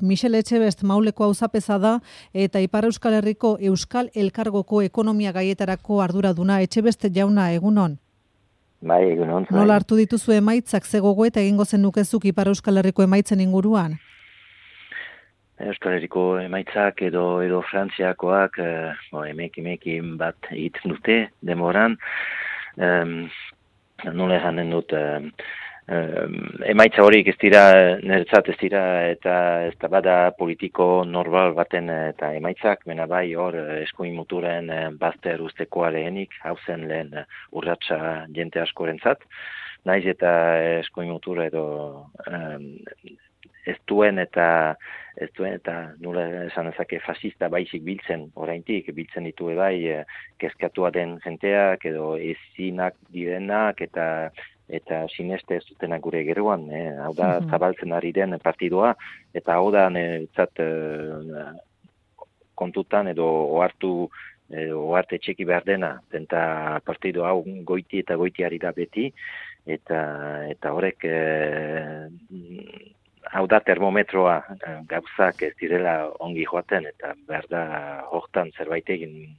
Michel Etxebest Mauleko auzapeza da eta Ipar Euskal Herriko Euskal Elkargoko ekonomia gaietarako arduraduna. Etxebest jauna, egunon. Bai, egunon. Nola hartu dituzu emaitzak, ze gogoeta egingo zenukezuk Ipar Euskal Herriko emaitzen inguruan? Euskal Herriko emaitzak edo Frantziakoak emekin bat egiten dute demoran. Nola esanen dut, emaitza horiek ez dira, niretzat ez dira, eta ez da bada politiko normal baten eta emaitzak, mena bai hor eskuin muturen bazter ustekoa lehenik, hau zen lehen urratsa jente askorentzat, naiz eta eskuin mutura edo ez duen eta nola esan ezake fascista baizik biltzen, oraindik biltzen ditu bai kezkatua den jenteak edo ezinak direnak eta sineste ez dutenak gure geroan, hau da zabaltzen ari den partidua, eta hau da kontutan edo oarte txeki behar dena, eta partidu hau goiti eta goitiari da beti, eta horrek hau da termometroa gauzak ez direla ongi joaten, eta behar da hortan zerbait egin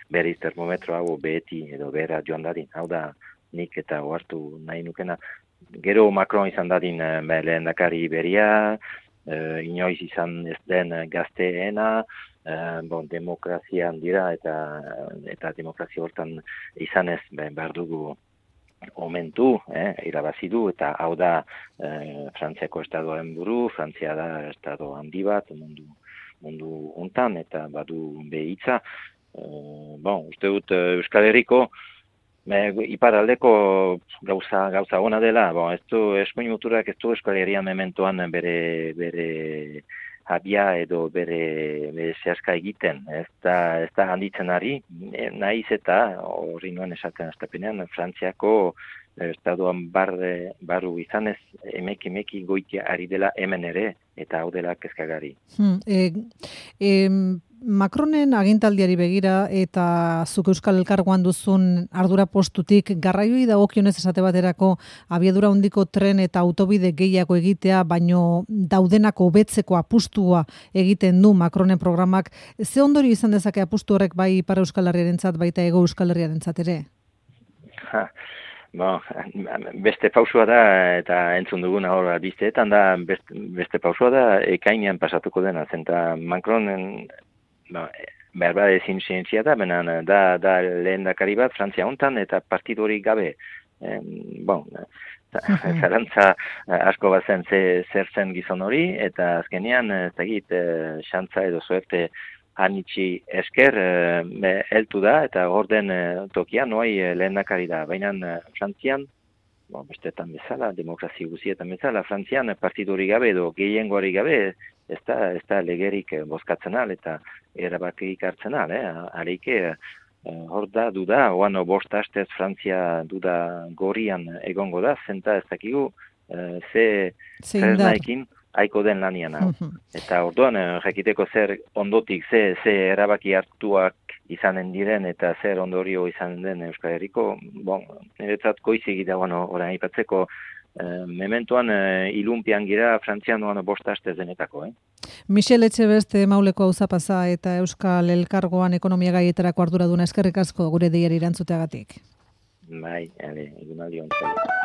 berriz termometro hau beheti edo behera joan dadin, hau da nik eta ohartu nahi nukena. Gero Macron izan dadin lehendakari beria, inoiz izan ez den gazteena, demokrazian dira eta demokrazia hortan izan ez behar dugu omentu, irabazi du, eta hau da Frantziako estadoaren buru, Frantzia da estado handi bat mundu hontan, eta badu behitza. Uste dut Euskal Herriko iparaldeko gauza ona dela, ez du eskuin muturak ez du Euskal Herrian mementoan bere habia edo bere zehaska egiten, ez da handitzen ari, naiz eta horri nuen esaten astapenean, Frantziako estadoan barru izanez emeki goitia ari dela hemen ere, eta hau dela kezkagari. Macronen agintaldiari begira eta zuk Euskal Elkargoan duzun ardura postutik garraioi dagokionez esate baterako abiadura handiko tren eta autobide gehiago egitea, baino daudenak hobetzeko apustua egiten du Macronen programak. Ze ondorio izan dezake apustu horrek bai Ipar Euskal Herriarentzat baita Hego Euskal Herriarentzat ere? Beste pausua da, eta entzun duguna hor bizteetan da, beste pausua da ekainean pasatuko dena, zenta Macronen behar bat ezin zientzia da, da lehendakari bat Frantzia hontan eta partidu hori gabe. Zarantza asko bat zen zer zen gizon hori, eta azkenean xantza edo suerte hanitzi esker heltu da, eta orden tokian noi lehendakari da. Baina Frantzian, bestetan bezala, demokrazia guzietan bezala, Frantzian partidu hori gabe edo gehiengoari gabe, ez da legerik bozkatzen al, eta erabakik hartzen al, Areike, hor da, duda, oan bost hastez Frantzia duda gorian egongo da, zenta ez dakigu, zer nahikin haiko den lanian hau. Eta orduan, jakiteko zer ondotik, ze erabaki hartuak izanen diren eta zer ondorio izanen den Euskal Herriko, niretzat goizik da, orain aipatzeko, mementoan ilunpian gira Frantzian bost hastez denetako. Michel Etxebest Mauleko auzapeza eta Euskal Elkargoan ekonomia gaietarako arduraduna, eskerrik asko gure deiari erantzuteagatik. Bai, egunaldi ontzat.